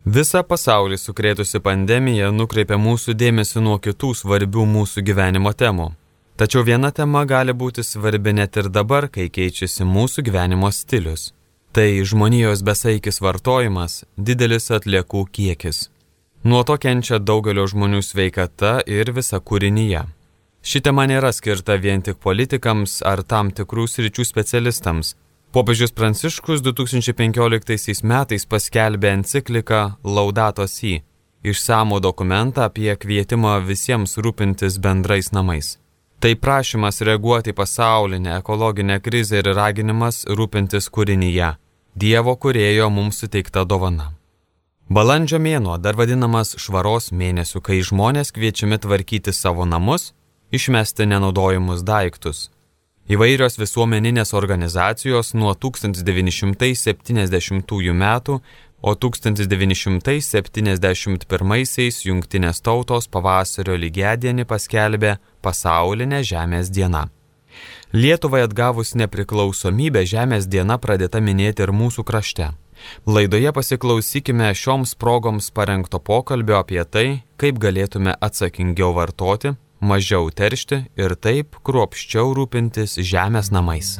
Visą pasaulį sukrėtusi pandemija nukreipia mūsų dėmesį nuo kitų svarbių mūsų gyvenimo temų. Tačiau viena tema gali būti svarbi net ir dabar, kai keičiasi mūsų gyvenimo stilius. Tai žmonijos besaikis vartojimas, didelis atliekų kiekis. Nuo to kenčia daugelio žmonių sveikata ir visa kūrinyje. Ši tema nėra skirta vien tik politikams ar tam tikrų sričių specialistams. Popiežius Pranciškus 2015 metais paskelbė encikliką Laudato Si, išsamų dokumentą apie kvietimą visiems rūpintis bendrais namais. Tai prašymas reaguoti į pasaulinę ekologinę krizę ir raginimas rūpintis kūrinyje, Dievo kūrėjo mums suteikta dovana. Balandžio mėnuo dar vadinamas švaros mėnesiu, kai žmonės kviečiami tvarkyti savo namus, išmesti nenaudojimus daiktus. Įvairios visuomeninės organizacijos nuo 1970 metų, o 1971 Jungtinės tautos pavasario lygiadienį paskelbė Pasaulinę Žemės dieną. Lietuvai atgavus nepriklausomybę Žemės diena pradėta minėti ir mūsų krašte. Laidoje pasiklausykime šioms progoms parengto pokalbio apie tai, kaip galėtume atsakingiau vartoti, mažiau teršti ir taip kruopščiau rūpintis žemės namais.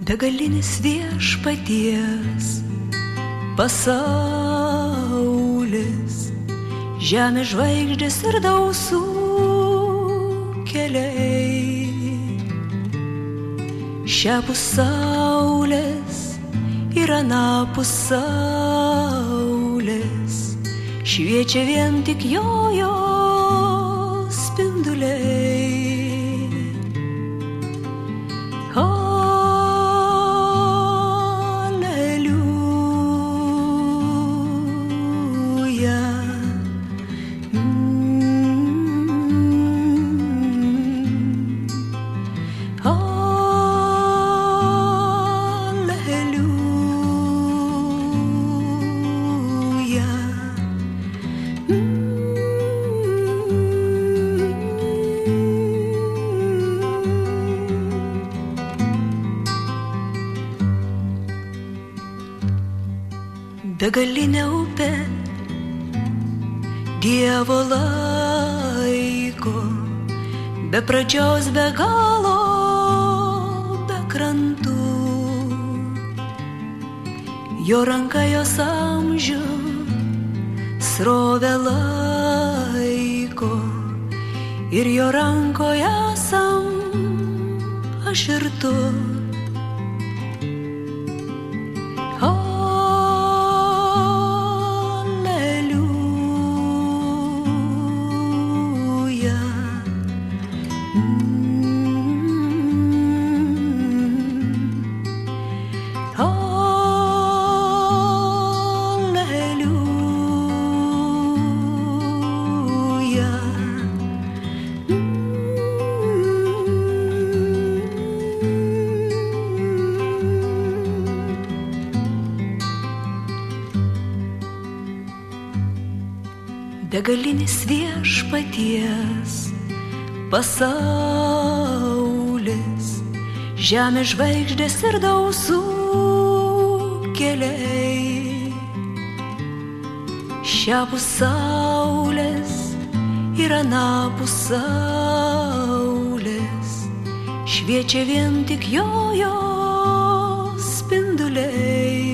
Begalinis viešpaties pasaulis, žemės žvaigždės ir dausų keliai. Šiapus saulės ir anapus saulės šviečia vien tik jo spinduliai. Alleluja. Begalinė upė Dievo laiko, be pradžios, be galo, be krantų. Jo ranka jos amžių srovę laiko ir jo rankoje esam aš ir tu. Begalinis viešpaties pasaulis, žemės žvaigždės ir dausų keliai. Šiapus saulės ir anapus saulės šviečia vien tik jo spinduliai.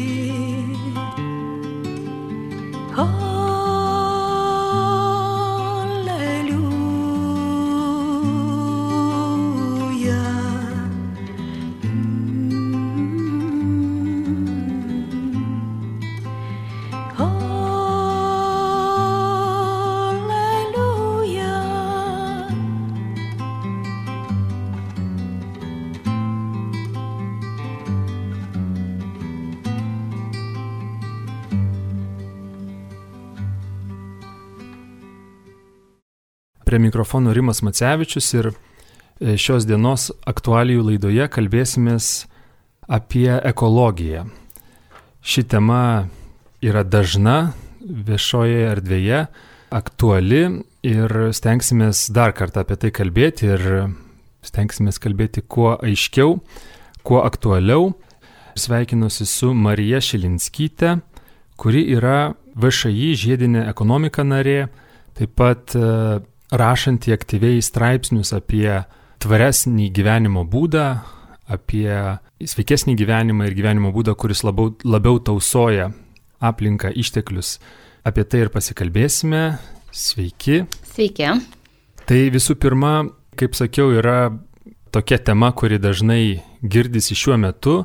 Prie mikrofono Rimas Macevičius ir šios dienos aktualijų laidoje kalbėsimės apie ekologiją. Ši tema yra dažna viešoje erdvėje, aktuali ir stengsimės dar kartą apie tai kalbėti ir stengsimės kalbėti kuo aiškiau, kuo aktualiau. Sveikinuosi su Marija Šilinskyte, kuri yra VŠI žiedinė ekonomika narė, taip pat rašanti aktyviai straipsnius apie tvaresnį gyvenimo būdą, apie sveikesnį gyvenimą ir gyvenimo būdą, kuris labiau tausoja aplinką, išteklius. Apie tai ir pasikalbėsime. Sveiki. Sveiki. Tai visų pirma, kaip sakiau, yra tokia tema, kuri dažnai girdisi šiuo metu.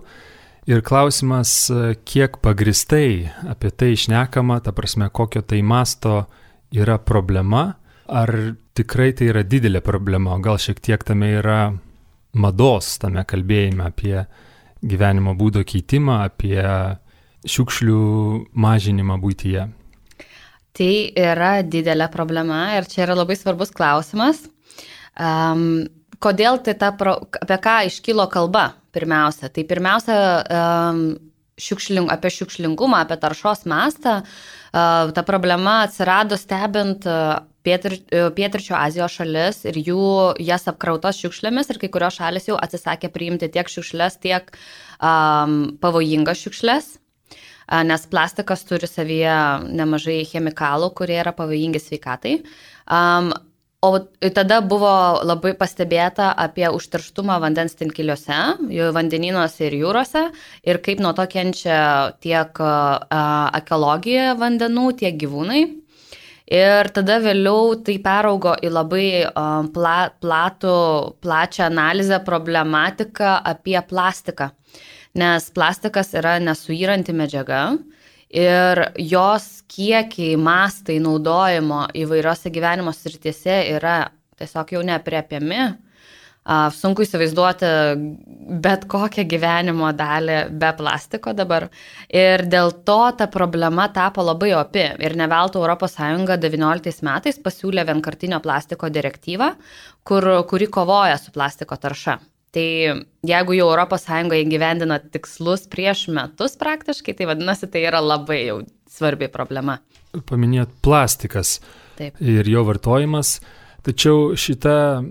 Ir klausimas, kiek pagristai apie tai šnekama, ta prasme, kokio tai masto yra problema. Ar tikrai tai yra didelė problema, o gal šiek tiek tame yra mados, tame kalbėjime apie gyvenimo būdo keitimą, apie šiukšlių mažinimą buityje? Tai yra didelė problema ir čia yra labai svarbus klausimas. Kodėl tai apie ką iškilo kalba pirmiausia? Tai pirmiausia, apie šiukšlingumą, apie taršos mastą. Ta problema atsirado stebint Pietryčių Azijos šalis ir jas apkrautos šiukšlėmis, ir kai kurios šalis jau atsisakė priimti tiek šiukšlės, tiek pavojingas šiukšlės, nes plastikas turi savyje nemažai chemikalų, kurie yra pavojingi sveikatai. O tada buvo labai pastebėta apie užterštumą vandens tinkiliuose, vandenynuose ir jūrose, ir kaip nuo to kenčia tiek ekologija vandenų, tiek gyvūnai. Ir tada vėliau tai peraugo į labai plačią analizę problematiką apie plastiką, nes plastikas yra nesuyranti medžiaga ir jos kiekiai, mastai naudojimo įvairiose gyvenimo srityse yra tiesiog jau neaprėpiami. Sunku įsivaizduoti bet kokią gyvenimo dalį be plastiko dabar. Ir dėl to ta problema tapo labai opi. Ir ne veltui ES 19 metais pasiūlė vienkartinio plastiko direktyvą, kuri kovoja su plastiko tarša. Tai jeigu jau ES įgyvendino tikslus prieš metus praktiškai, tai vadinasi, tai yra labai jau svarbi problema. Paminėjot plastikas. Taip. Ir jo vartojimas, tačiau šita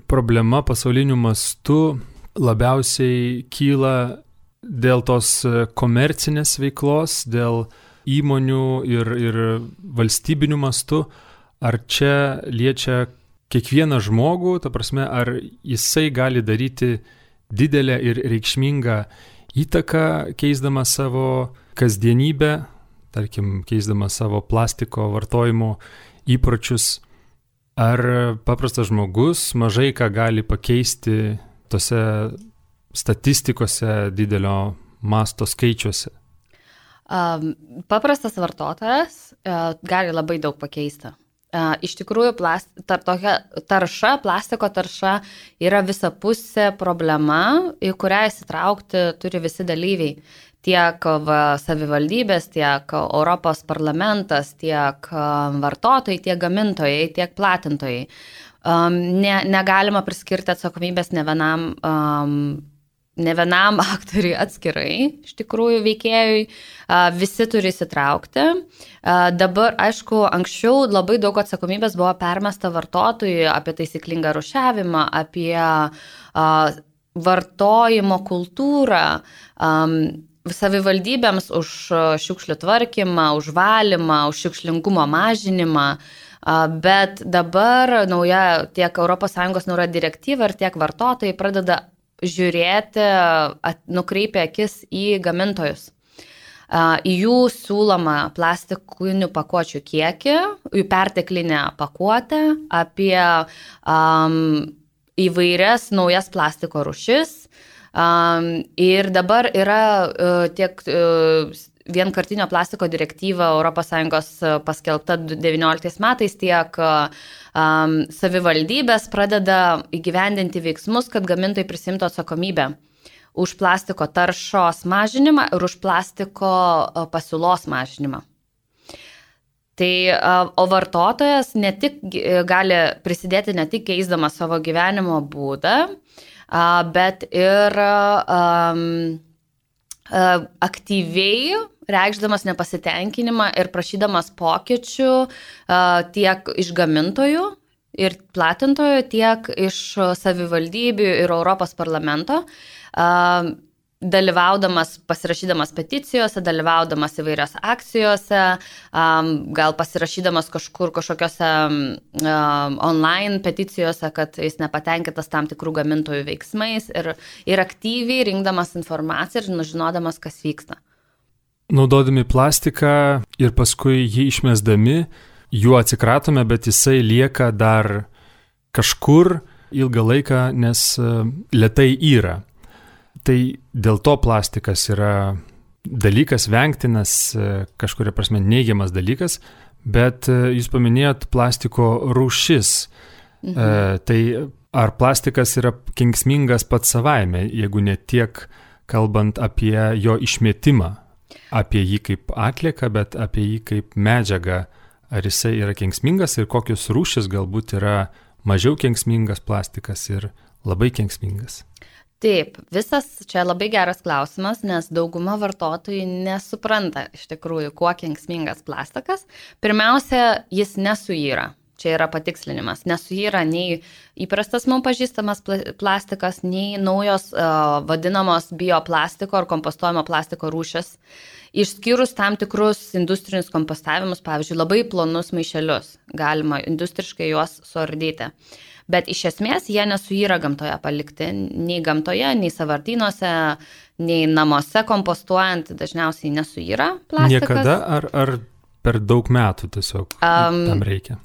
problema pasauliniu mastu labiausiai kyla dėl tos komercinės veiklos, dėl įmonių ir valstybinių mastų. Ar čia liečia kiekvieną žmogų, ta prasme, ar jisai gali daryti didelę ir reikšmingą įtaką, keisdama savo kasdienybę, tarkim, keisdama savo plastiko vartojimo įpročius? Ar paprastas žmogus mažai ką gali pakeisti tose statistikose didelio masto skaičiuose? Paprastas vartotojas gali labai daug pakeisti. Iš tikrųjų, plastiko tarša yra visapusė problema, į kurią įsitraukti turi visi dalyviai. Tiek savivaldybės, tiek Europos parlamentas, tiek vartotojai, tiek gamintojai, tiek platintojai. Negalima priskirti atsakomybės ne vienam aktoriui atskirai, iš tikrųjų veikėjui, visi turi įsitraukti. Dabar, aišku, anksčiau labai daug atsakomybės buvo permesta vartotojui apie taisyklingą rūšiavimą, apie vartojimo kultūrą, savivaldybėms už šiukšlių tvarkymą, už valymą, už šiukšlingumo mažinimą, bet dabar nauja tiek ES nauja direktyva ir tiek vartotojai pradeda žiūrėti, nukreipia akis į gamintojus, į jų siūlomą plastikinių pakuočių kiekį, jų perteklinę pakuotę, apie įvairias naujas plastiko rūšis. Ir dabar yra tiek vienkartinio plastiko direktyva ES paskelbta 19 metais, tiek savivaldybės pradeda įgyvendinti veiksmus, kad gamintojai prisimtų atsakomybę už plastiko taršos mažinimą ir už plastiko pasiūlos mažinimą. Tai, o vartotojas ne tik gali prisidėti ne tik keisdamas savo gyvenimo būdą, bet ir aktyviai reikšdamas nepasitenkinimą ir prašydamas pokyčių tiek iš gamintojų ir platintojų, tiek iš savivaldybių ir Europos parlamento. pasirašydamas peticijose, dalyvaudamas įvairios akcijose, gal pasirašydamas kažkokiose online peticijose, kad jis nepatenkintas tam tikrų gamintojų veiksmais ir aktyviai rinkdamas informaciją ir žinodamas, kas vyksta. Naudodami plastiką ir paskui jį išmesdami, juo atsikratome, bet jisai lieka dar kažkur ilgą laiką, nes lėtai yra. Tai dėl to plastikas yra dalykas vengtinas, kažkuria prasme neigiamas dalykas, bet jūs paminėjot plastiko rūšis. Tai ar plastikas yra kenksmingas pats savaime, jeigu ne tiek kalbant apie jo išmetimą, apie jį kaip atlieką, bet apie jį kaip medžiagą, ar jisai yra kenksmingas ir kokios rūšis galbūt yra mažiau kenksmingas plastikas ir labai kenksmingas? Taip, čia labai geras klausimas, nes dauguma vartotojų nesupranta iš tikrųjų, kuo kenksmingas plastikas. Pirmiausia, jis nesuyra. Čia yra patikslinimas. Nesuyra nei įprastas mums pažįstamas plastikas, nei naujos vadinamos bioplastiko ar kompostuojamo plastiko rūšis. Išskyrus tam tikrus industrinius kompostavimus, pavyzdžiui, labai plonus maišelius. Galima industriškai juos suardyti. Bet iš esmės jie nesuyra gamtoje palikti, nei gamtoje, nei sąvartynuose, nei namuose kompostuojant, dažniausiai nesuyra plastikas. Niekada ar per daug metų tiesiog tam reikia?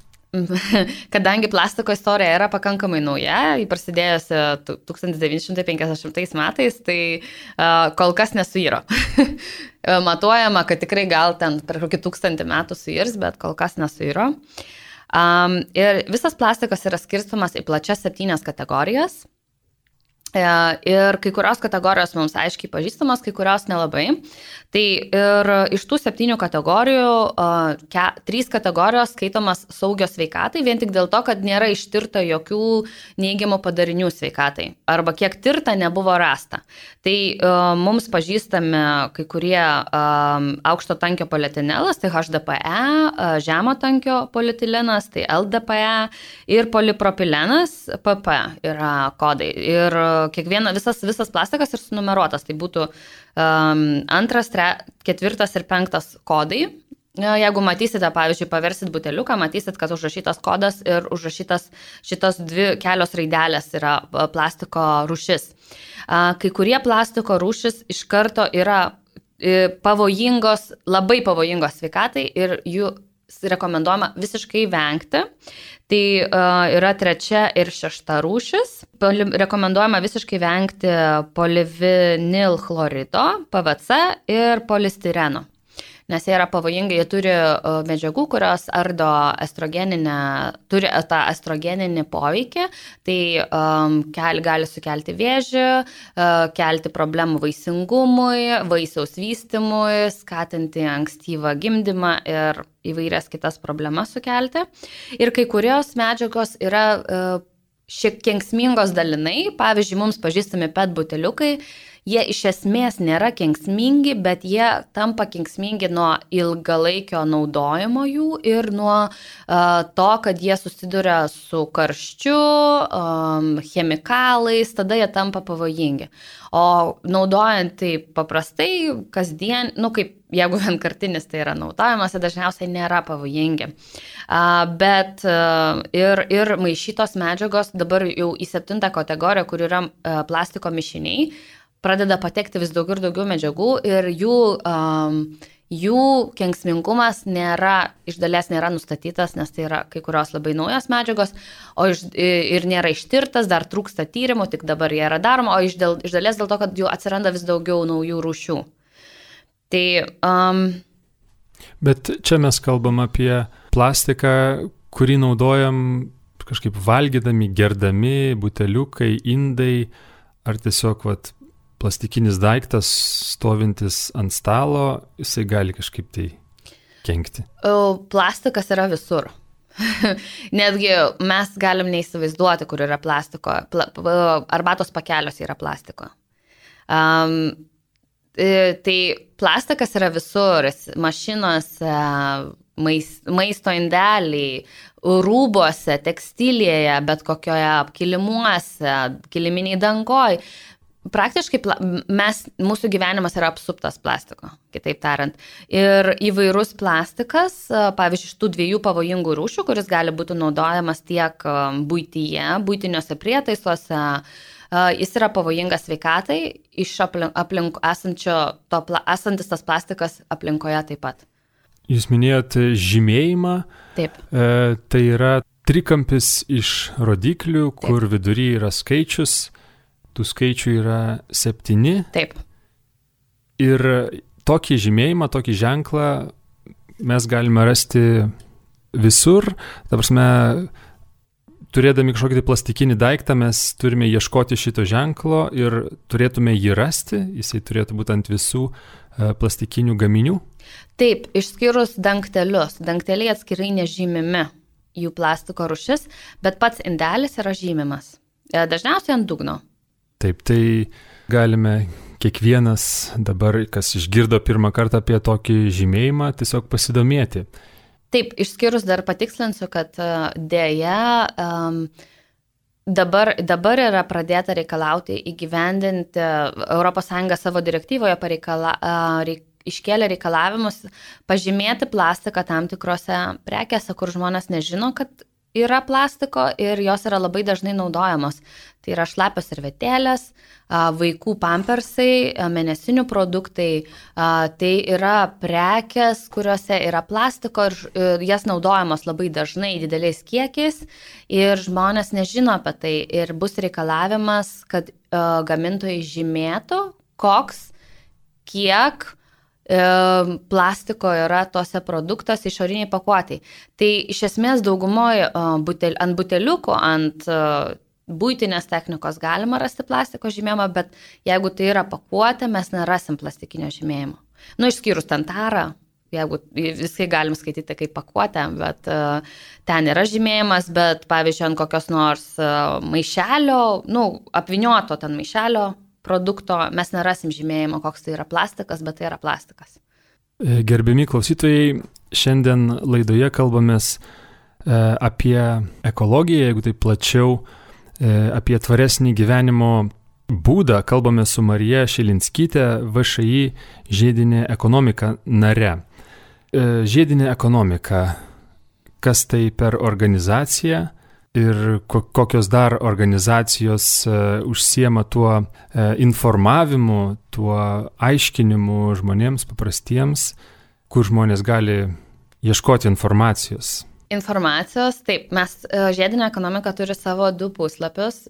Kadangi plastiko istorija yra pakankamai nauja, jį prasidėjusi 1950 metais, tai kol kas nesuyra. Matuojama, kad tikrai gal ten per kokį 1000 metų suirs, bet kol kas nesuyra. Ir visas plastikas yra skirstomas į plačias 7 kategorijas. Ir kai kurios kategorijos mums aiškiai pažįstamos, kai kurios nelabai. Tai ir iš tų 7 kategorijų 3 kategorijos skaitomas saugios sveikatai, vien tik dėl to, kad nėra ištirta jokių neigiamų padarinių sveikatai. Arba kiek tirta nebuvo rasta. Tai mums pažįstami kai kurie aukšto tankio polietilenas, tai HDPE, žemo tankio polietilenas, tai LDPE ir polipropilenas, PP yra kodai. Ir visas plastikas ir sunumeruotas, tai būtų 2, 4 ir 5 kodai. Jeigu matysite, pavyzdžiui, paversit buteliuką, matysit, kad užrašytas kodas ir užrašytas šitos 2 kelios raidelės yra plastiko rūšis. Kai kurie plastiko rūšis iš karto yra pavojingos, labai pavojingos sveikatai ir jų rekomenduojama visiškai vengti. Tai yra 3 ir 6 rūšis. Rekomenduojama visiškai vengti polivinilchlorido, PVC ir polistireno. Nes jie yra pavojingai, jie turi medžiagų, kurios ardo turi tą estrogeninį poveikį, tai gali sukelti vėžį, kelti problemų vaisingumui, vaisiaus vystymui, skatinti ankstyvą gimdymą ir įvairias kitas problemas sukelti. Ir kai kurios medžiagos yra šiek kenksmingos dalinai, pavyzdžiui, mums pažįstami PET buteliukai, jie iš esmės nėra kenksmingi, bet jie tampa kenksmingi nuo ilgalaikio naudojimo jų ir nuo to, kad jie susiduria su karščiu, chemikalais, tada jie tampa pavojingi. O naudojant tai paprastai, kasdien, kaip jeigu vienkartinis tai yra naudojimas, tai dažniausiai nėra pavojingi. Bet ir maišytos medžiagos dabar jau į 7 kategoriją, kur yra plastiko mišiniai, pradeda patekti vis daugiau ir daugiau medžiagų ir jų kenksmingumas iš dalies nėra nustatytas, nes tai yra kai kurios labai naujos medžiagos, ir nėra ištirtas, dar trūksta tyrimų, tik dabar jie yra daroma, o iš dalies dėl to, kad jų atsiranda vis daugiau naujų rūšių. Tai, Bet čia mes kalbam apie plastiką, kurį naudojam kažkaip valgydami, gerdami, buteliukai, indai, ar tiesiog plastikinis daiktas stovintis ant stalo, jisai gali kažkaip tai kenkti. Plastikas yra visur. Netgi mes galim neįsivaizduoti, kur yra plastiko. Arbatos pakeliuose yra plastiko. Tai plastikas yra visur, mašinuose, maisto indeliai, rūbuose, tekstilėje, bet kokioje kilimuose, kiliminiai dangoj. Praktiškai mūsų gyvenimas yra apsuptas plastiko, kitaip tariant. Ir įvairus plastikas, pavyzdžiui, iš tų 2 pavojingų rūšių, kuris gali būti naudojamas tiek buityje, buitiniuose prietaisuose, jis yra pavojingas sveikatai, iš aplink esantis tas plastikas aplinkoje taip pat. Jūs minėjote žymėjimą. Taip. Tai yra trikampis iš rodiklių, kur vidury yra skaičius. Tų skaičių yra 7. Taip. Ir tokį žymėjimą, tokį ženklą mes galime rasti visur. Ta prasme, turėdami kažkokį plastikinį daiktą, mes turime ieškoti šito ženklo ir turėtume jį rasti. Jisai turėtų būti ant visų plastikinių gaminių. Taip, išskyrus dangtelius. Dangteliai atskirai nežymimi jų plastiko rūšis, bet pats indelis yra žymimas. Dažniausiai ant dugno. Taip, tai galime kiekvienas dabar, kas išgirdo pirmą kartą apie tokį žymėjimą, tiesiog pasidomėti. Taip, išskyrus dar patikslinsiu, kad dėja dabar yra pradėta reikalauti įgyvendinti, ES savo direktyvoje iškėlė reikalavimus pažymėti plastiką tam tikrose prekėse, kur žmonės nežino, kad yra plastiko ir jos yra labai dažnai naudojamos. Tai yra šlapios servetėlės, vaikų pampersai, mėnesinių produktai, tai yra prekės, kuriuose yra plastiko ir jas naudojamos labai dažnai dideliais kiekiais ir žmonės nežino apie tai ir bus reikalavimas, kad gamintojai žymėtų, kiek plastiko yra tose produktuose išoriniai pakuotei. Tai iš esmės daugumoje ant buteliukų, ant buitinės technikos galima rasti plastiko žymėjimą, bet jeigu tai yra pakuotė, mes nerasim plastikinio žymėjimo. Išskyrus tantarą, jeigu viskai galim skaityti kaip pakuotę, bet ten yra žymėjimas, bet pavyzdžiui ant kokios nors maišelio, apvynioto ten maišelio produkto, mes nerasim žymėjimo, koks tai yra plastikas, bet tai yra plastikas. Gerbiami klausytojai, šiandien laidoje kalbamės apie ekologiją, jeigu tai plačiau, apie tvaresnį gyvenimo būdą. Kalbame su Marija Šilinskytė, VŠI žiedinė ekonomika nare. Žiedinė ekonomika, kas tai per organizacija ir kokios dar organizacijos užsiema tuo informavimu, tuo aiškinimu žmonėms paprastiems, kur žmonės gali ieškoti informacijos. Taip, žiedinė ekonomika turi savo 2 puslapius,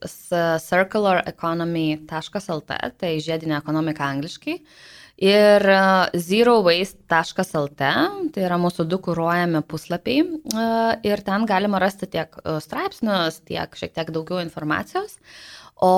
circulareconomy.lt, tai žiedinė ekonomika angliškai, ir zerowaste.lt, tai yra mūsų 2 kuruojami puslapiai, ir ten galima rasti tiek straipsnius, tiek šiek tiek daugiau informacijos, o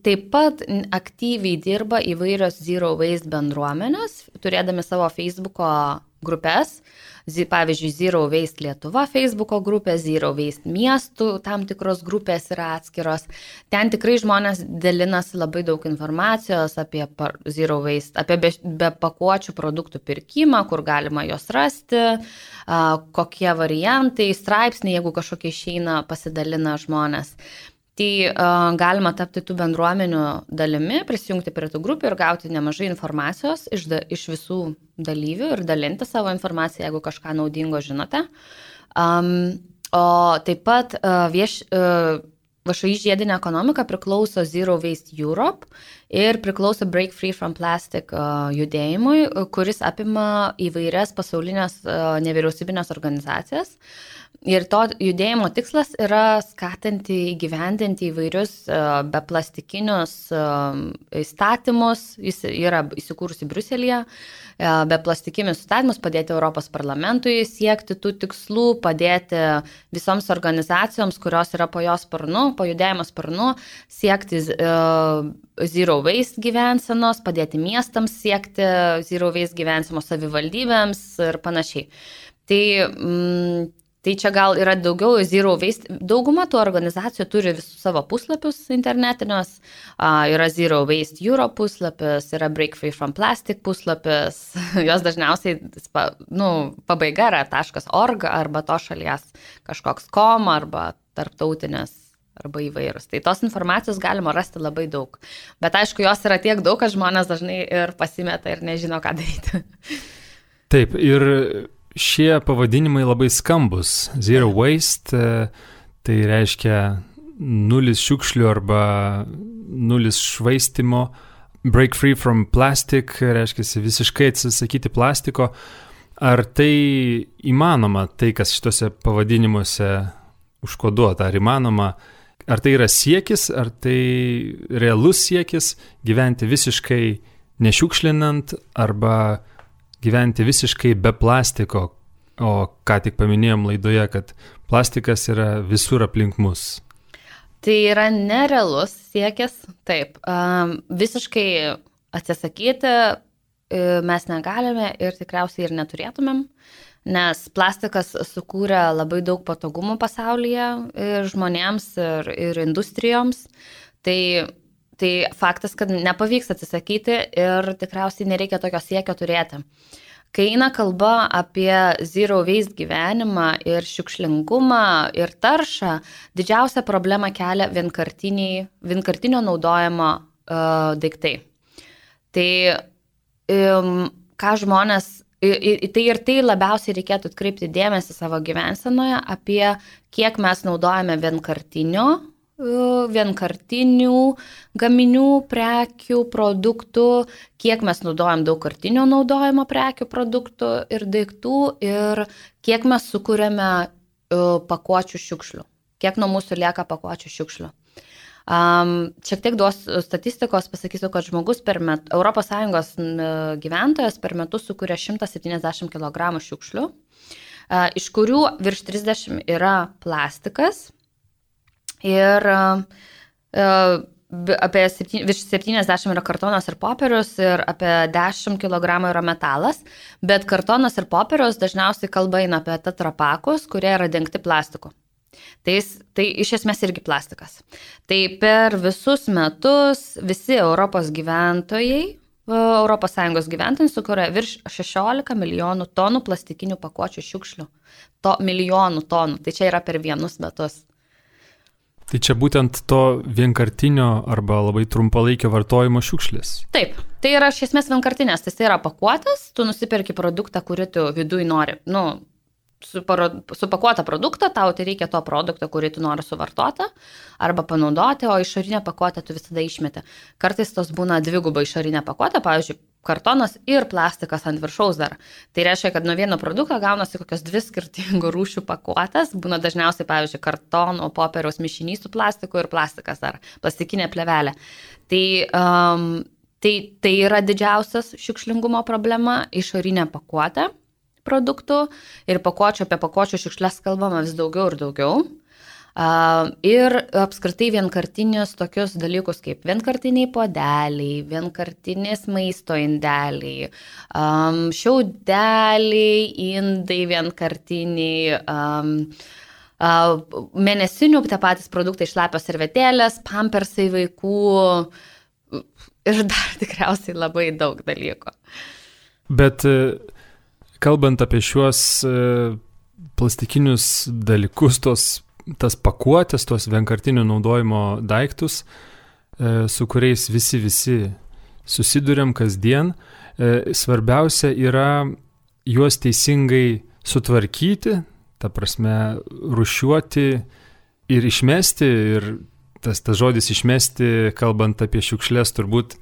taip pat aktyviai dirba įvairios Zero Waste bendruomenės, turėdami savo Facebooko grupės, pavyzdžiui, Zero Waste Lietuva Facebooko grupė, Zero Waste miestų tam tikros grupės yra atskiros. Ten tikrai žmonės dalinasi labai daug informacijos apie Zero Waste, apie be pakuočių produktų pirkimą, kur galima jos rasti, kokie variantai, straipsniai, jeigu kažkokie išeina, pasidalina žmonės. Tai galima tapti tų bendruomenių dalimi, prisijungti prie tų grupių ir gauti nemažai informacijos iš visų dalyvių ir dalinti savo informaciją, jeigu kažką naudingo žinote. O taip pat VŠI žiedinė ekonomika priklauso Zero Waste Europe ir priklauso Break Free from Plastic judėjimui, kuris apima įvairias pasaulinės nevyriausybinės organizacijas. Ir to judėjimo tikslas yra skatinti įgyvendinti įvairius beplastikinius įstatymus, jis yra įsikūrusi Briuselyje, beplastikinius įstatymus, padėti Europos parlamentui siekti tų tikslų, padėti visoms organizacijoms, kurios yra po judėjimo sparnu, siekti Zero Waste gyvensenos, padėti miestams siekti Zero Waste gyvensenos, savivaldybėms ir panašiai. Tai čia gal yra daugiau Zero Waste. Dauguma tų organizacijų turi visus savo puslapius internetinius. Yra Zero Waste Europe puslapis, yra Break Free from Plastic puslapis. Jos dažniausiai pabaiga yra .org arba to šalies kažkoks .com arba tarptautinis arba įvairūs. Tai tos informacijos galima rasti labai daug. Bet aišku, jos yra tiek daug, kad žmonės dažnai ir pasimeta ir nežino, ką daryti. Taip, ir šie pavadinimai labai skambus. Zero waste, tai reiškia nulis šiukšlių arba nulis švaistimo. Break free from plastic, reiškia visiškai atsisakyti plastiko. Ar tai įmanoma, tai kas šitose pavadinimuose užkoduota, ar įmanoma, ar tai yra siekis, ar tai realus siekis gyventi visiškai nešiukšlinant arba gyventi visiškai be plastiko, o ką tik paminėjom laidoje, kad plastikas yra visur aplink mus. Tai yra nerealus siekis, taip, visiškai atsisakyti mes negalime ir tikriausiai ir neturėtumėm, nes plastikas sukūrė labai daug patogumų pasaulyje ir žmonėms, ir industrijoms. Tai faktas, kad nepavyks atsisakyti ir tikriausiai nereikia tokio siekio turėti. Kai eina kalba apie zero waste gyvenimą ir šiukšlingumą ir taršą, didžiausia problema kelia vienkartinio naudojimo daiktai. Tai ką žmonės, tai labiausiai reikėtų atkreipti dėmesį savo gyvensenoje apie kiek mes naudojame vienkartinių gaminių, prekių, produktų, kiek mes naudojam daugkartinio naudojimo prekių, produktų ir daiktų ir kiek mes sukūrėme pakuočių šiukšlių, kiek nuo mūsų lieka pakuočių šiukšlių. Šiek tiek duos statistikos, pasakysiu, kad žmogus ES gyventojas per metus sukuria 170 kg šiukšlių, iš kurių virš 30 yra plastikas ir virš 70 yra kartonas ir popierius ir apie 10 kg yra metalas, bet kartonas ir popierius dažniausiai kalba eina apie tetrapakus, kurie yra dengti plastiku. Tai iš esmės irgi plastikas. Tai per visus metus visi Europos gyventojai, ES gyventojai sukuria virš 16 milijonų tonų plastikinių pakuočių šiukšlių. Milijonų tonų. Tai čia yra per vienus metus. Tai čia būtent to vienkartinio arba labai trumpalaikio vartojimo šiukšlės. Taip, tai yra iš esmės vienkartinės. Tai yra pakuotas, tu nusipirki produktą, kurį tu viduj nori, supakuotą produktą, tau tai reikia to produkto, kurį tu nori suvartoti arba panaudoti, o išorinę pakuotę tu visada išmeti. Kartais tos būna dviguba išorinė pakuotė, pavyzdžiui, kartonas ir plastikas ant viršaus dar. Tai reiškia, kad nuo vieno produkto gaunasi kokios 2 skirtingų rūšių pakuotės, būna dažniausiai, pavyzdžiui, kartono, popieriaus mišinys su plastiku ir plastikas dar, plastikinė plėvelė. Tai yra didžiausias šiukšlingumo problema, išorinė pakuotė produktų ir apie pakuočių šiukšles kalbama vis daugiau ir daugiau. Ir apskritai vienkartinius tokius dalykus kaip vienkartiniai puodeliai, vienkartinės maisto indeliai, šiaudeliai, indai vienkartiniai, mėnesinių tie patys produktai, šlapios servetėlės, pampersai vaikų ir dar tikriausiai labai daug dalykų. Bet kalbant apie šiuos plastikinius dalykus, tas pakuotės, tos vienkartinio naudojimo daiktus, su kuriais visi susiduriam kasdien, svarbiausia yra juos teisingai sutvarkyti, ta prasme, rūšiuoti ir išmesti. Ir tas žodis išmesti, kalbant apie šiukšlės, turbūt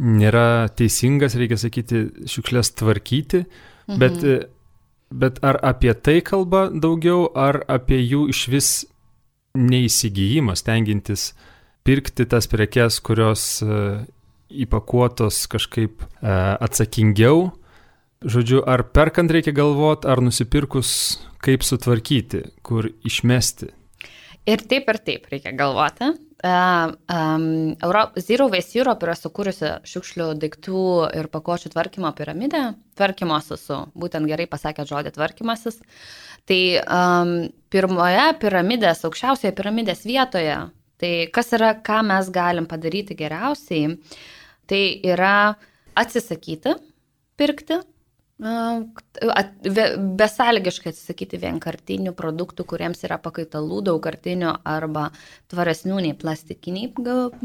nėra teisingas, reikia sakyti, šiukšlės tvarkyti. Bet ar apie tai kalba daugiau, ar apie jų išvis neįsigijimą, stengiantis pirkti tas prekes, kurios įpakuotos kažkaip atsakingiau? Žodžiu, ar perkant reikia galvoti, ar nusipirkus kaip sutvarkyti, kur išmesti? Ir taip reikia galvoti. Zero Waste Europe yra sukūrusi šiukšlių daiktų ir pakuočių tvarkymo piramidę. Tvarkymosis, būtent gerai pasakė žodį tvarkymasis. Tai pirmoje piramidės, aukščiausioje piramidės vietoje, tai kas yra, ką mes galim padaryti geriausiai, tai yra atsisakyti pirkti Besąlygiškai atsisakyti vienkartinių produktų, kuriems yra pakaitalų daugkartinių arba tvaresnių nei plastikiniai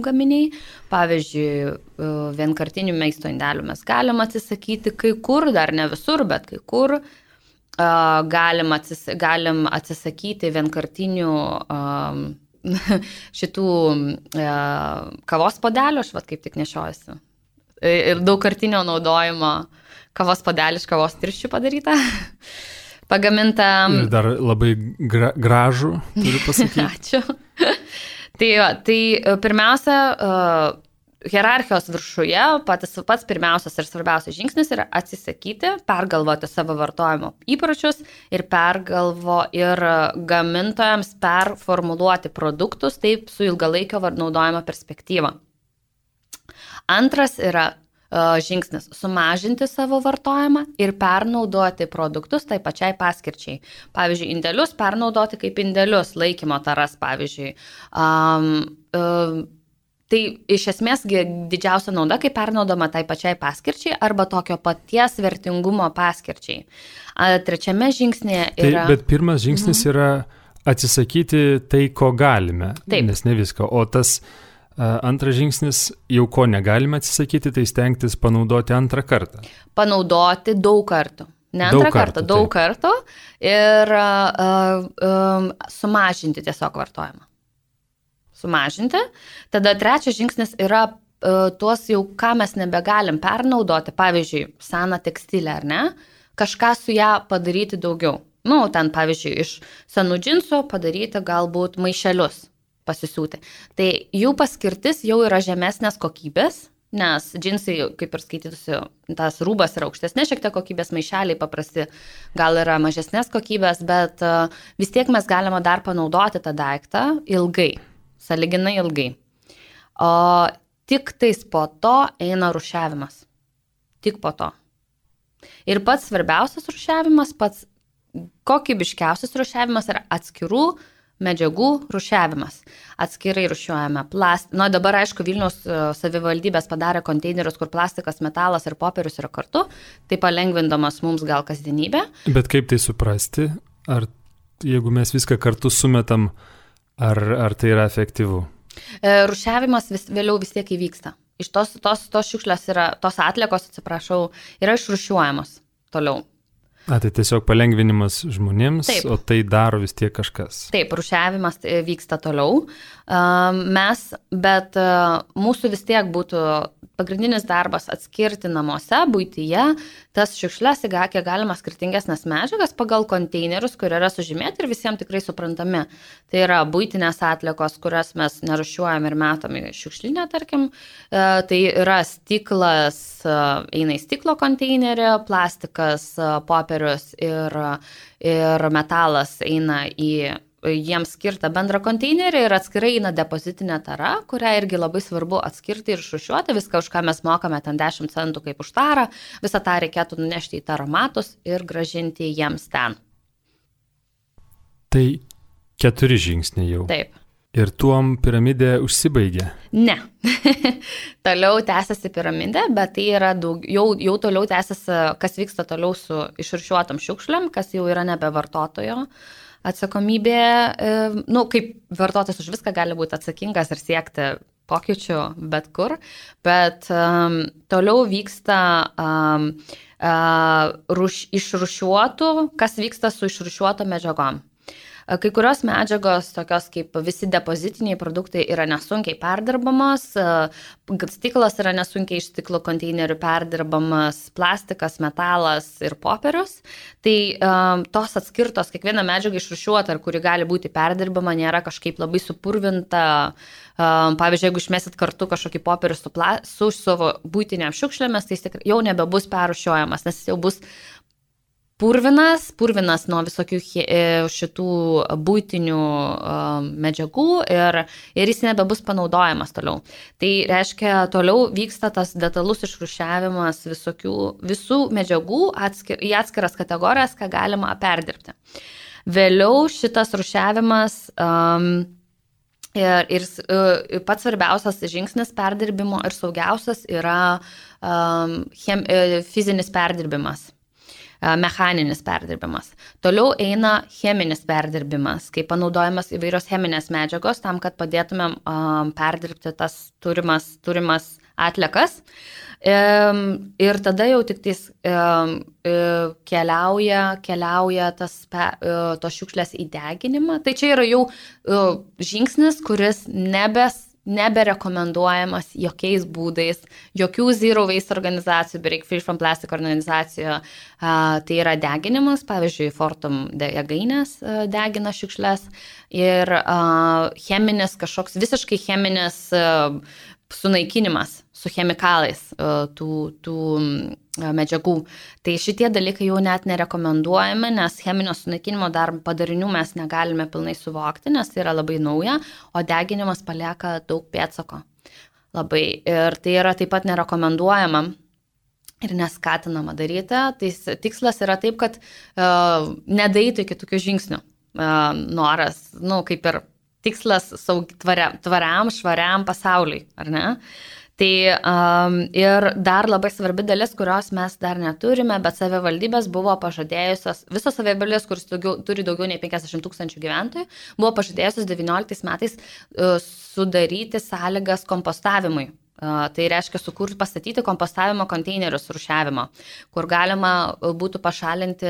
gaminiai. Pavyzdžiui, vienkartinių maisto indelių mes galim atsisakyti kai kur, dar ne visur, bet kai kur. Galim atsisakyti vienkartinių šitų kavos podelių, aš kaip tik nešiojuosi. Ir daugkartinio naudojimo kavos podelį iš kavos tirščių padaryta, pagaminta. Ir dar labai gražų, turiu pasakyti. Ačiū. Tai pirmiausia, hierarchijos viršuje pats pirmiausias ir svarbiausias žingsnis yra atsisakyti, pergalvoti savo vartojimo įpročius ir gamintojams performuluoti produktus taip su ilgalaikio naudojimo perspektyva. Antras yra žingsnis – sumažinti savo vartojimą ir pernaudoti produktus tai pačiai paskirčiai. Pavyzdžiui, indelius pernaudoti kaip indelius, laikymo taras, pavyzdžiui. Tai iš esmės didžiausia nauda, kai pernaudoma tai pačiai paskirčiai arba tokio paties vertingumo paskirčiai. Trečiame žingsnėje yra... Bet pirmas žingsnis yra atsisakyti tai, ko galime, Taip. Nes ne viską. O tas... Antras žingsnis, jau ko negalime atsisakyti, tai stengtis panaudoti antrą kartą. Panaudoti daug kartų. Ne antrą kartą, daug kartų ir sumažinti tiesiog vartojimą. Sumažinti. Tada trečias žingsnis yra tuos jau, ką mes nebegalim pernaudoti, pavyzdžiui, seną tekstilę, ar ne, kažką su ją padaryti daugiau. Ten, pavyzdžiui, iš senų džinsų padaryti galbūt maišelius. Pasisiūti. Tai jų paskirtis jau yra žemesnės kokybės, nes džinsai, kaip ir skaitytusi, tas rūbas yra aukštesnė šiek tiek kokybės, maišeliai paprasti gal yra mažesnės kokybės, bet vis tiek mes galime dar panaudoti tą daiktą ilgai, sąlyginai ilgai. O tik tais po to eina rūšiavimas. Tik po to. Ir pats svarbiausias rūšiavimas, pats kokybiškiausias rūšiavimas yra atskirų medžiagų rūšiavimas. Atskirai rūšiuojame plastiką. Dabar, aišku, Vilniaus savivaldybės padarė konteinerius, kur plastikas, metalas ir popierius yra kartu, tai palengvindamas mums gal kasdienybę. Bet kaip tai suprasti? Ar jeigu mes viską kartu sumetam, ar tai yra efektyvu? Rūšiavimas vėliau vis tiek įvyksta. Iš tos šiukšlės tos atliekos, yra išrūšiuojamos toliau. Tai tiesiog palengvinimas žmonėms, Taip. O tai daro vis tiek kažkas. Taip, rūšiavimas vyksta toliau. Bet mūsų vis tiek būtų pagrindinis darbas atskirti namuose, buityje, tas šiukšles, kiek galima skirtingesnės medžiagas pagal konteinerius, kur yra sužymėti ir visiems tikrai suprantami. Tai yra buitinės atliekos, kurias mes nerūšiuojam ir metam į šiukšlinę, tarkim. Tai yra stiklas, eina į stiklo konteinerį, plastikas, popierius ir metalas eina į jiems skirtą bendrą konteinerį ir atskirai eina depozitinė tara, kurią irgi labai svarbu atskirti ir išrūšiuoti. Viską, už ką mes mokame ten 10 centų kaip už tarą, visą tą reikėtų nunešti į taromatus ir grąžinti jiems ten. Tai 4 žingsniai jau. Taip. Ir tuom piramidė užsibaigė? Ne. Toliau tęsiasi piramidė, bet tai yra jau toliau tęsiasi, kas vyksta toliau su išrūšiuotom šiukšlėm, kas jau yra nebe vartotojo atsakomybė. Kaip vartotojas už viską gali būti atsakingas ir siekti pokyčių bet kur, bet toliau vyksta išrūšiuotų, kas vyksta su išrūšiuoto medžiagom. Kai kurios medžiagos, tokios kaip visi depozitiniai produktai, yra nesunkiai perdirbamos, stiklas yra nesunkiai iš stiklo konteinerių perdirbamas, plastikas, metalas ir popierius. Tai tos atskirtos, kiekviena medžiaga išrūšiuota, kuri gali būti perdirbama, nėra kažkaip labai supurvinta. Pavyzdžiui, jeigu išmesit kartu kažkokį popierių su savo buitinėm šiukšlėmis, tai jis jau nebebus perrūšiuojamas, nes jis jau bus purvinas nuo visokių šitų buitinių medžiagų ir jis nebebus panaudojamas toliau. Tai reiškia, toliau vyksta tas detalus išrūšiavimas visų medžiagų į atskiras kategorijas, ką galima perdirbti. Vėliau šitas rūšiavimas ir pats svarbiausias žingsnis perdirbimo ir saugiausias yra fizinis perdirbimas. mechaninis perdirbimas. Toliau eina cheminis perdirbimas, kai panaudojamas įvairios cheminės medžiagos tam, kad padėtumėm perdirbti tas turimas atliekas. Ir tada jau tik tais keliauja tos šiukšlės į deginimą. Tai čia yra jau žingsnis, kuris neberekomenduojamas jokiais būdais, jokių zero waste organizacijų, beveik Free from Plastic organizacijų. Tai yra deginimas, pavyzdžiui, Fortum jėgainės degina šiukšlės ir cheminis, kažkoks visiškai cheminis sunaikinimas su chemikalais tų medžiagų. Tai šitie dalykai jau net nerekomenduojame, nes cheminio sunaikinimo dar padarinių mes negalime pilnai suvokti, nes tai yra labai nauja, o deginimas palieka daug pėdsako. Labai. Ir tai yra taip pat nerekomenduojama ir neskatinama daryti. Tai tikslas yra taip, kad nedaeitų iki tokių žingsnių. Noras, kaip ir tikslas tvariam, švariam pasauliui, ar ne? Tai ir dar labai svarbi dalis, kurios mes dar neturime, bet savivaldybės buvo pažadėjusios, visos savivaldybės, kuris turi daugiau nei 50 000 gyventojų, buvo pažadėjusios 19 metais sudaryti sąlygas kompostavimui. Tai reiškia pastatyti kompostavimo konteinerius rūšiavimo, kur galima būtų pašalinti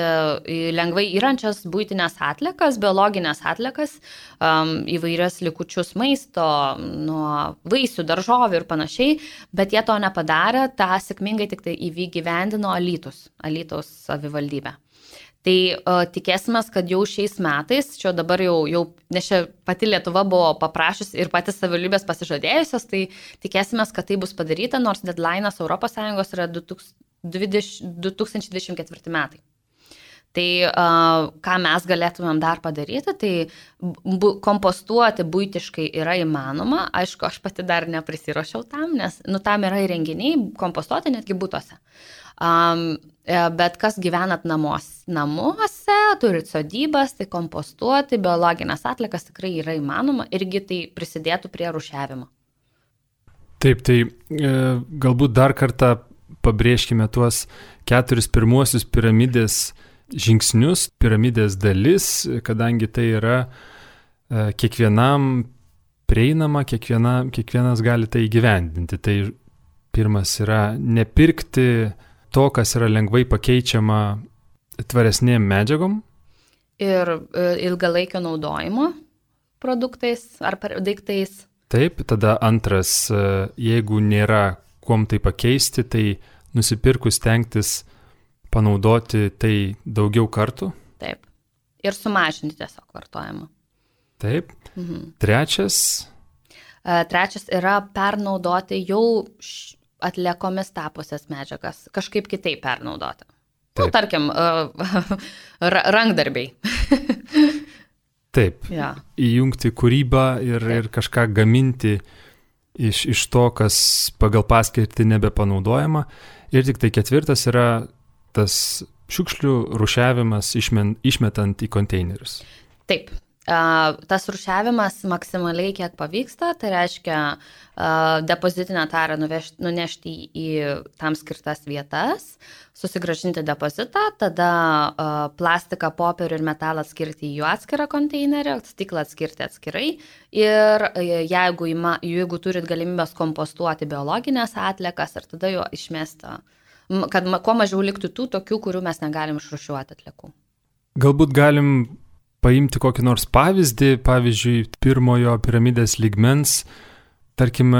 lengvai yrančias buitinės atliekas, biologinės atliekas, įvairias likučius maisto, nuo vaisių, daržovių ir panašiai, bet jie to nepadarė, tą sėkmingai tik tai įgyvendino Alytaus savivaldybė. Tai tikėsime, kad jau šiais metais, čia dabar jau nes čia pati Lietuva buvo paprašiusi ir patys savivaldybės pasižadėjusios, tai tikėsime, kad tai bus padaryta, nors deadline'as ES yra 2024 metai. Tai ką mes galėtumėm dar padaryti, tai kompostuoti buitiškai yra įmanoma. Aišku, aš pati dar neprisiruošiau tam, nes tam yra įrenginiai kompostuoti netgi butuose. Bet kas gyvenat namuose, turit sodybas, tai kompostuoti biologinės atliekas tikrai yra įmanoma irgi tai prisidėtų prie rūšiavimo. Taip, tai galbūt dar kartą pabrėžkime tuos 4 pirmuosius piramidės žingsnius, piramidės dalis, kadangi tai yra kiekvienam prieinama, kiekvienas gali tai įgyvendinti. Tai pirmas yra nepirkti to, kas yra lengvai pakeičiama tvaresnėm medžiagom. Ir ilgalaikio naudojimo produktais ar daiktais. Taip, tada antras, jeigu nėra kuom tai pakeisti, tai nusipirkus stengtis panaudoti tai daugiau kartų. Taip. Ir sumažinti tiesiog vartojimą. Taip. Mhm. Trečias yra pernaudoti jau atliekomis tapusias medžiagas, kažkaip kitaip pernaudoti. Tarkim, rankdarbiai. Taip, ja. Įjungti kūrybą ir kažką gaminti iš to, kas pagal paskirtį nebepanaudojama. Ir tik tai 4 yra tas šiukšlių rūšiavimas išmetant į konteinerius. Taip. Tas rūšiavimas maksimaliai kiek pavyksta, tai reiškia depozitinę tarą nunešti į tam skirtas vietas, susigrąžinti depozitą, tada plastiką, popierių ir metalą atskirti į jų atskirą konteinerį, stiklą atskirti atskirai ir jeigu turit galimybės kompostuoti biologinės atliekas ir tada jo išmesti, kad kuo mažiau liktų tų tokių, kurių mes negalim išrūšiuoti atliekų. Galbūt galim paimti kokį nors pavyzdį, pavyzdžiui, pirmojo piramidės lygmens, tarkim,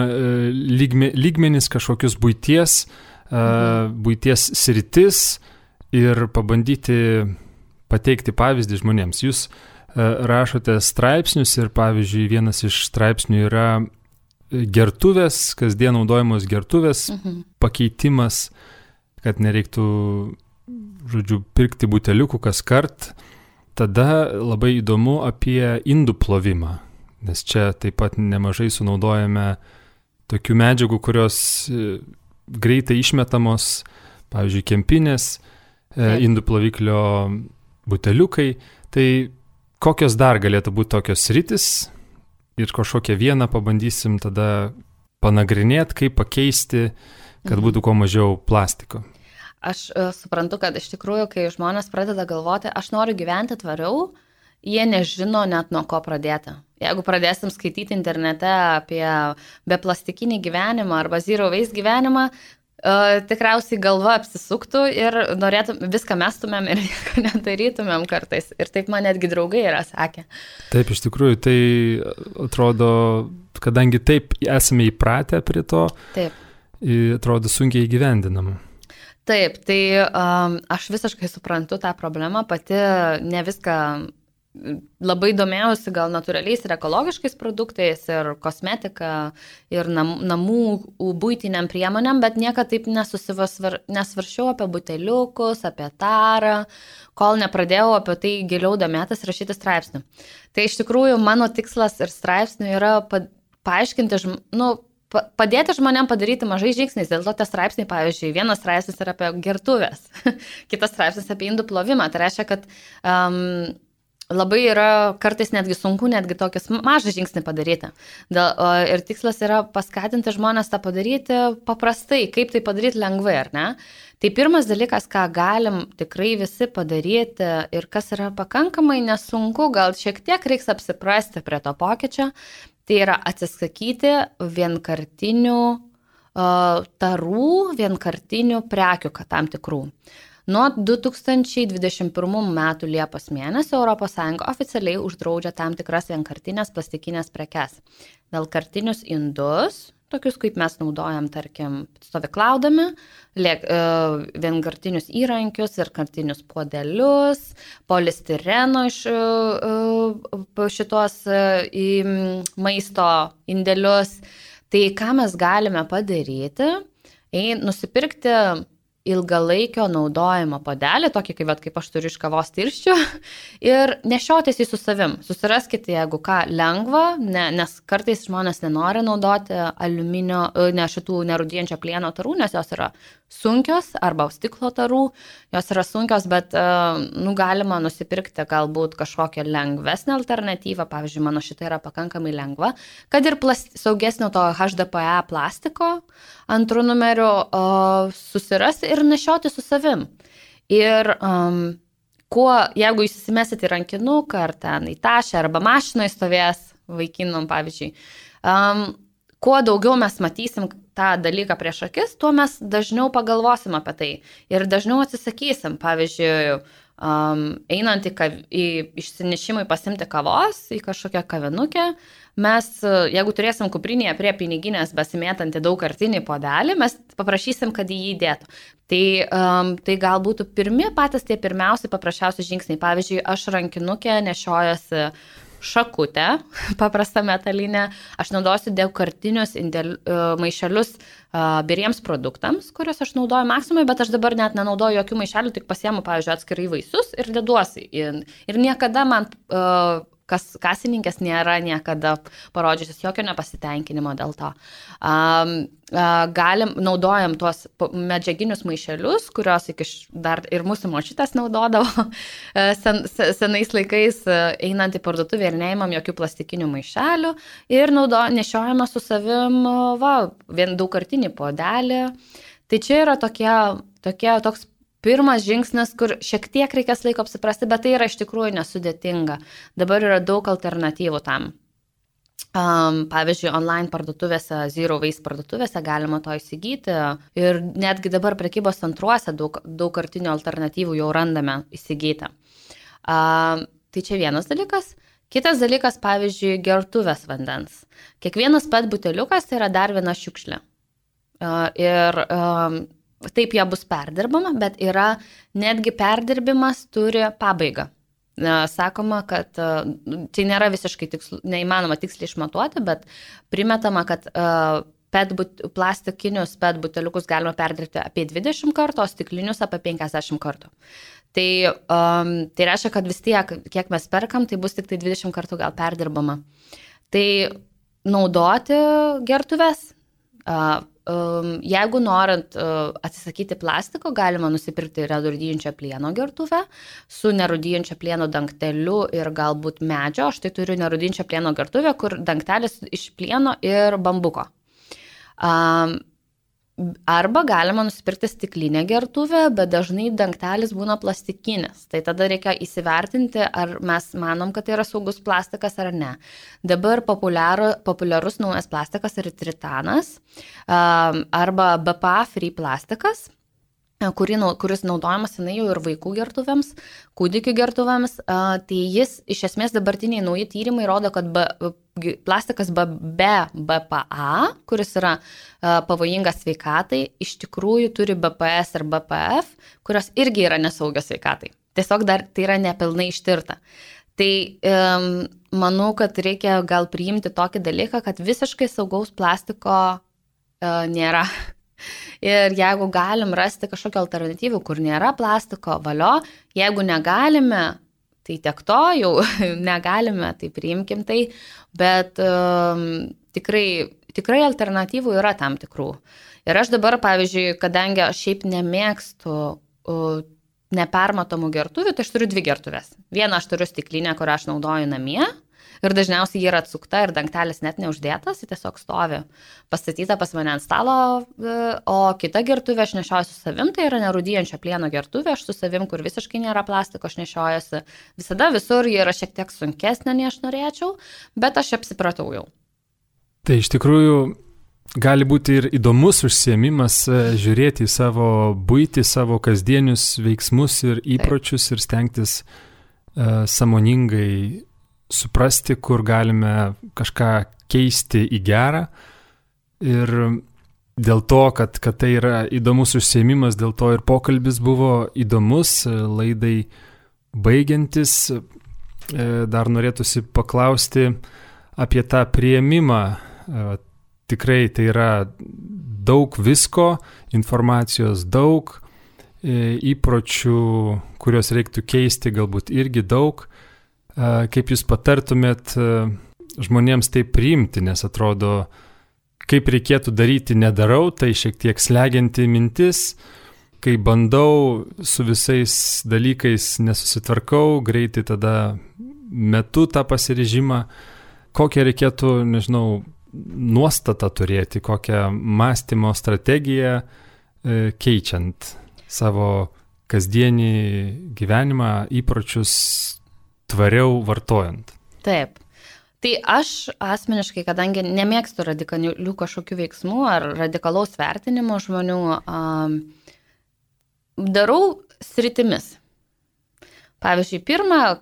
lygmenis kažkokius buities sritis ir pabandyti pateikti pavyzdį žmonėms. Jūs rašote straipsnius ir, pavyzdžiui, vienas iš straipsnių yra gertuvės, kasdien naudojamos gertuvės pakeitimas, kad nereiktų, pirkti buteliukų kas kart. Tada labai įdomu apie indų plovimą, nes čia taip pat nemažai sunaudojame tokių medžiagų, kurios greitai išmetamos, pavyzdžiui, kempinės, indų ploviklio buteliukai. Tai kokios dar galėtų būti tokios sritis ir kažkokią vieną pabandysim tada panagrinėti, kaip pakeisti, kad būtų kuo mažiau plastiko. Aš suprantu, kad iš tikrųjų, kai žmonės pradeda galvoti, aš noriu gyventi tvariau, jie nežino net nuo ko pradėti. Jeigu pradėsim skaityti internete apie beplastikinį gyvenimą arba zero waste gyvenimą, tikriausiai galva apsisuktų ir viską mestumėm ir nieko nedarytumėm kartais. Ir taip man netgi draugai yra sakę. Taip, iš tikrųjų, tai atrodo, kadangi taip esame įpratę prie to, taip. Atrodo sunkiai įgyvendinama. Taip, tai aš visiškai suprantu tą problemą, pati ne viską labai domėjausi gal natūraliais ir ekologiškais produktais ir kosmetika ir namų buitiniam priemonėm, bet niekad taip nesvaršiau apie buteliukus, apie tarą, kol nepradėjau apie tai giliau domėtis rašyti straipsnių. Tai iš tikrųjų mano tikslas ir straipsnių yra paaiškinti, padėti žmonėm padaryti mažai žingsniais. Dėl to tie straipsniai, pavyzdžiui, vienas straipsnis yra apie gertuvės, kitas straipsnis apie indų plovimą. Tai reiškia, kad labai yra kartais netgi sunku netgi tokias mažą žingsnį padaryti. Ir tikslas yra paskatinti žmonės tą padaryti paprastai, kaip tai padaryti lengvai, ar ne? Tai pirmas dalykas, ką galim tikrai visi padaryti ir kas yra pakankamai nesunku, gal šiek tiek reiks apsiprasti prie to pokyčio, tai yra atsisakyti vienkartinių tarų, vienkartinių prekių tam tikrų. Nuo 2021 metų Liepos mėnesio ES oficialiai uždraudžia tam tikras vienkartinės plastikinės prekes. Vienkartinius indus, tokius kaip mes naudojam, tarkim, stovyklaudami, vienkartinius įrankius ir kartinius puodelius, polistireno iš šitos maisto indelius. Tai ką mes galime padaryti? Nusipirkti ilgalaikio naudojimo puodelį, tokį kaip aš turiu iš kavos tirščių, ir nešiotis jį su savim. Susiraskite, jeigu ką, lengva, nes kartais žmonės nenori naudoti šitų nerūdijančio plieno tarų, nes jos yra sunkios, arba stiklo tarų, jos yra sunkios, bet galima nusipirkti galbūt kažkokią lengvesnę alternatyvą, pavyzdžiui, mano šita yra pakankamai lengva, kad ir saugesnio to HDPE plastiko antrų numerių susirasti ir nešioti su savim. Ir jeigu jūs įsimesit į rankinuką ar ten į tašę arba mašinoje stovės vaikinom, pavyzdžiui, kuo daugiau mes matysim tą dalyką prieš akis, tuo mes dažniau pagalvosim apie tai ir dažniau atsisakysim. Pavyzdžiui, einant į išsinešimui pasimti kavos į kažkokią kavinukę, mes, jeigu turėsim kuprinėje prie piniginės besimėtantį daugkartinį puodelį, mes paprašysim, kad jį įdėtų. Tai gal būtų patys tie pirmiausi paprasčiausi žingsniai. Pavyzdžiui, aš rankinukę nešiojuosi šakutę, paprastą metalinę, aš naudosiu daugkartinius maišelius biriems produktams, kuriuos aš naudoju maksimui, bet aš dabar net nenaudoju jokių maišelių, tik pasiemu, pavyzdžiui, atskirai vaisius ir deduosi. Ir niekada man kasininkės nėra niekada parodžiusios jokio nepasitenkinimo dėl to. Naudojam tuos medžiaginius maišelius, kurios dar ir mūsų močiutės naudodavo senais laikais, einant į parduotuvę ir neimam jokių plastikinių maišelių ir nešiojame su savim vien daugkartinį puodelį. Tai čia yra toks pirmas žingsnis, kur šiek tiek reikės laiko apsiprasti, bet tai yra iš tikrųjų nesudėtinga. Dabar yra daug alternatyvų tam. Pavyzdžiui, online parduotuvėse, zero waste parduotuvėse galima to įsigyti ir netgi dabar prekybos centruose daugkartinių alternatyvų jau randame įsigyti. Tai čia vienas dalykas. Kitas dalykas, pavyzdžiui, gertuvės vandens. Kiekvienas PET buteliukas tai yra dar viena šiukšlė. Ir taip jie bus perdirbama, bet yra netgi perdirbimas turi pabaigą. Sakoma, kad tai nėra visiškai neįmanoma tiksliai išmatuoti, bet primetama, kad plastikinius PET buteliukus galima perdirbti apie 20 kartų, o stiklinius apie 50 kartų. Tai reiškia, kad vis tiek, kiek mes perkam, tai bus tik tai 20 kartų gal perdirbama. Tai naudoti gertuves. Jeigu norint atsisakyti plastiko, galima nusipirkti nerūdijančio plieno gertuvę su nerūdijančio plieno dangteliu ir galbūt medžio. Aš tai turiu nerūdijančio plieno gertuvę, kur dangtelis iš plieno ir bambuko. Arba galima nusipirkti stiklinę gertuvę, bet dažnai dangtelis būna plastikinis. Tai tada reikia įsivertinti, ar mes manom, kad tai yra saugus plastikas ar ne. Dabar populiarus naujas plastikas yra tritanas arba BPA free plastikas, kuris naudojamas senai jau ir vaikų gertuvėms, kūdikių gertuvėms. Tai jis, iš esmės, dabartiniai nauji tyrimai rodo, kad plastikas be BPA, kuris yra pavojingas sveikatai, iš tikrųjų turi BPS ir BPF, kurios irgi yra nesaugios sveikatai. Tiesiog dar tai yra nepilnai ištirta. Tai manau, kad reikia gal priimti tokį dalyką, kad visiškai saugaus plastiko nėra. Ir jeigu galim rasti kažkokią alternatyvų, kur nėra plastiko, valio, jeigu negalime, tai tiek to jau negalime, tai priimkim tai, bet tikrai alternatyvų yra tam tikrų. Ir aš dabar, pavyzdžiui, kadangi aš šiaip nemėgstu nepermatomų gertuvių, tai aš turiu 2 gertuvės. Vieną aš turiu stiklinę, kurią aš naudoju namie. Ir dažniausiai ji yra atsukta ir dangtelis net neuždėtas, ji tiesiog stovi pastatyta pas mane ant stalo, o kita gertuvė aš nešioju su savim, tai yra nerūdyjančio plieno gertuvė, aš su savim, kur visiškai nėra plastiko, aš nešiojuosi visada visur, ji yra šiek tiek sunkesnė, nei aš norėčiau, bet aš apsipratau jau. Tai iš tikrųjų gali būti ir įdomus užsiėmimas žiūrėti į savo buitį, savo kasdienius veiksmus ir įpročius ir stengtis sąmoningai suprasti, kur galime kažką keisti į gerą. Ir dėl to, kad tai yra įdomus užsiėmimas, dėl to ir pokalbis buvo įdomus, laidai baigiantis. Dar norėtųsi paklausti apie tą priėmimą. Tikrai tai yra daug visko, informacijos daug, įpročių, kuriuos reiktų keisti, galbūt irgi daug. Kaip jūs patartumėt žmonėms tai priimti, nes atrodo, kaip reikėtų daryti, nedarau, tai šiek tiek slegianti mintis, kai bandau su visais dalykais nesusitvarkau, greitai tada metu tą pasiryžimą, kokią reikėtų, nežinau, nuostatą turėti, kokią mąstymo strategiją keičiant savo kasdienį gyvenimą, įpročius tvariau vartojant. Taip. Tai aš asmeniškai, kadangi nemėgstu radikalių kažkokių veiksmų ar radikalaus vertinimo žmonių, darau sritimis. Pavyzdžiui, pirmas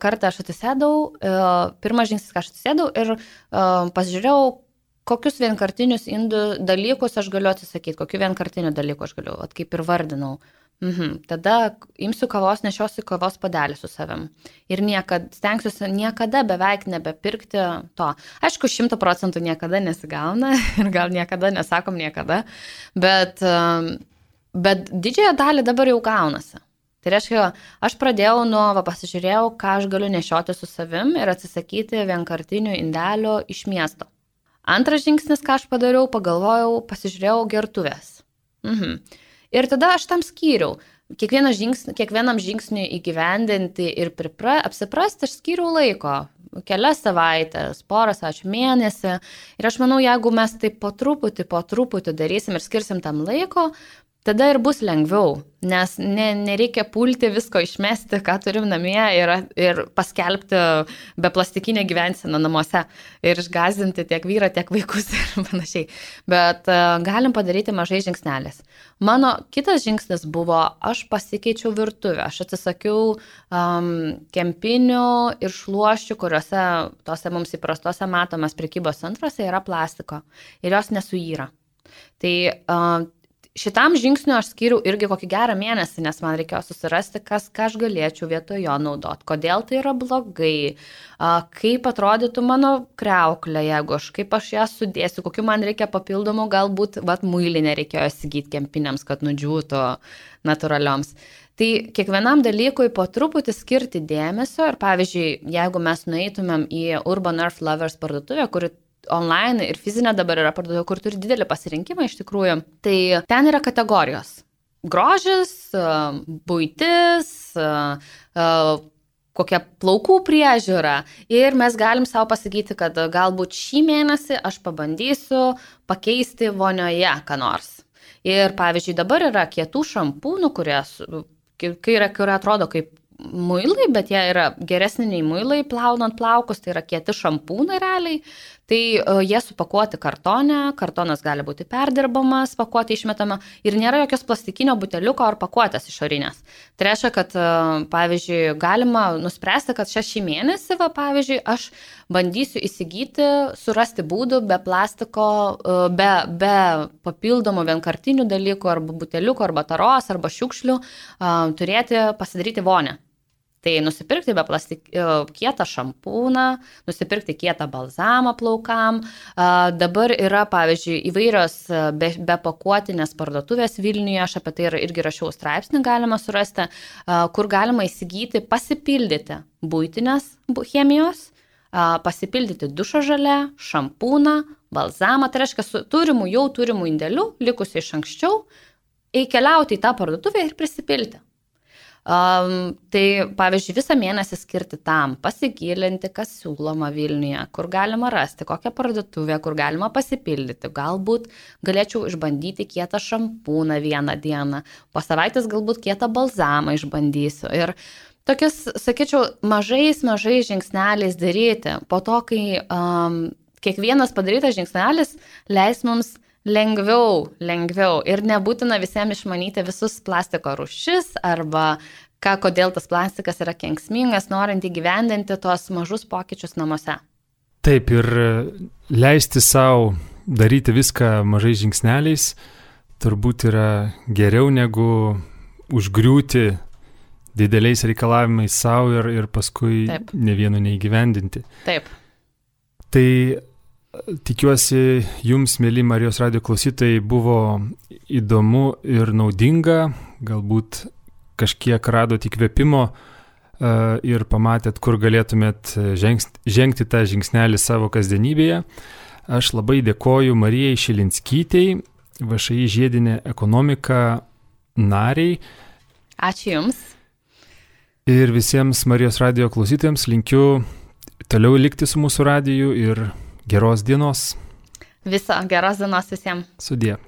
žingsnis, ką aš atsisėdau ir pasižiūrėjau, kokius vienkartinius indų dalykus aš galiu atsisakyti, kokių vienkartinių dalykų aš galiu, kaip ir vardinau. Tada imsiu kavos, nešiosiu kavos puodelį su savim. Ir stengsiuosi niekada beveik nebepirkti to. Aišku, 100% niekada nesigauna ir gal niekada nesakom niekada, bet didžiąją dalį dabar jau gaunasi. Tai reiškia, aš pradėjau pasižiūrėjau, ką aš galiu nešioti su savim ir atsisakyti vienkartinių indelių iš miesto. Antras žingsnis, ką aš padariau, pagalvojau, pasižiūrėjau gertuvės. Ir tada aš tam skyriau. Kiekvienam žingsniui įgyvendinti ir apsiprasti, aš skyriau laiko. Kelias savaitės, porą savaičių, mėnesį. Ir aš manau, jeigu mes taip po truputį darysim ir skirsim tam laiko, tada ir bus lengviau, nes nereikia pulti visko išmesti, ką turim namie ir paskelbti beplastikinę gyvenseną namuose ir išgąsdinti tiek vyrą, tiek vaikus ir panašiai. Bet galim padaryti mažai žingsnelės. Mano kitas žingsnis buvo, aš pasikeičiau virtuvę, aš atsisakiau kempinių ir šluoščių, kuriuose tose mums įprastose matomės prekybos centruose yra plastiko ir jos nesuyra. Tai šitam žingsniu aš skyriau irgi kokį gerą mėnesį, nes man reikėjo susirasti, ką aš galėčiau vietoj jo naudoti, kodėl tai yra blogai, kaip atrodytų mano kriauklė, kaip aš ją sudėsiu, kokiu man reikia papildomų, galbūt muilinę reikėjo įsigyti kempiniams, kad nudžiūtų natūralioms. Tai kiekvienam dalykui po truputį skirti dėmesio ir pavyzdžiui, jeigu mes nueitumėm į Urban Earth Lovers parduotuvę, kuri online ir fizinė dabar yra parduotuvė, kur turi didelį pasirinkimą iš tikrųjų. Tai ten yra kategorijos. Grožis, buitis, kokia plaukų priežiūra. Ir mes galim savo pasakyti, kad galbūt šį mėnesį aš pabandysiu pakeisti vonioje ką nors. Ir pavyzdžiui, dabar yra kietų šampūnų, kurie atrodo kaip muilai, bet jie yra geresni nei muilai plaunant plaukus, tai yra kieti šampūnai realiai. Tai jie supakuoti kartone, kartonas gali būti perdirbamas, pakuotė išmetama ir nėra jokios plastikinio buteliuko ar pakuotės išorinės. Tai reiškia, kad pavyzdžiui, galima nuspręsti, kad šį mėnesį, pavyzdžiui, aš bandysiu įsigyti, surasti būdų be plastiko, be papildomų vienkartinių dalykų, arba buteliukų, arba taros, arba šiukšlių, pasidaryti vonę. Tai nusipirkti kietą šampūną, nusipirkti kietą balzamą plaukam. Dabar yra, pavyzdžiui, įvairios be pakuotinės parduotuvės Vilniuje, aš apie tai irgi rašiau straipsnį, galima surasti, kur galima įsigyti, pasipildyti buitinės chemijos, pasipildyti dušo želę, šampūną, balzamą, tai reiškia su turimų indėlių, likusiai iš anksčiau, keliauti į tą parduotuvę ir prisipilti. Tai pavyzdžiui, visą mėnesį skirti tam, pasigilinti, kas siūloma Vilniuje, kur galima rasti, kokią parduotuvę, kur galima pasipildyti. Galbūt galėčiau išbandyti kietą šampūną vieną dieną, po savaitės galbūt kietą balzamą išbandysiu. Ir tokius, sakyčiau, mažais žingsneliais daryti. Po to, kai kiekvienas padarytas žingsnelis leis mums lengviau ir nebūtina visiems išmanyti visus plastiko rūšis arba kodėl tas plastikas yra kenksmingas, norint įgyvendinti tuos mažus pokyčius namuose. Taip, ir leisti savo daryti viską mažais žingsneliais turbūt yra geriau negu užgriūti dideliais reikalavimais savo ir paskui Taip. Ne vieno neįgyvendinti. Taip. Tai tikiuosi, jums, mėly Marijos radijo klausytojai, buvo įdomu ir naudinga, galbūt kažkiek radot įkvėpimo ir pamatėt, kur galėtumėt žengti tą žingsnelį savo kasdienybėje. Aš labai dėkoju Marijai Šilinskytei, VŠI žiedinė ekonomika nariai. Ačiū Jums. Ir visiems Marijos radijo klausytojams linkiu toliau likti su mūsų radiju ir geros dienos. Geros dienos visiems. Sudie.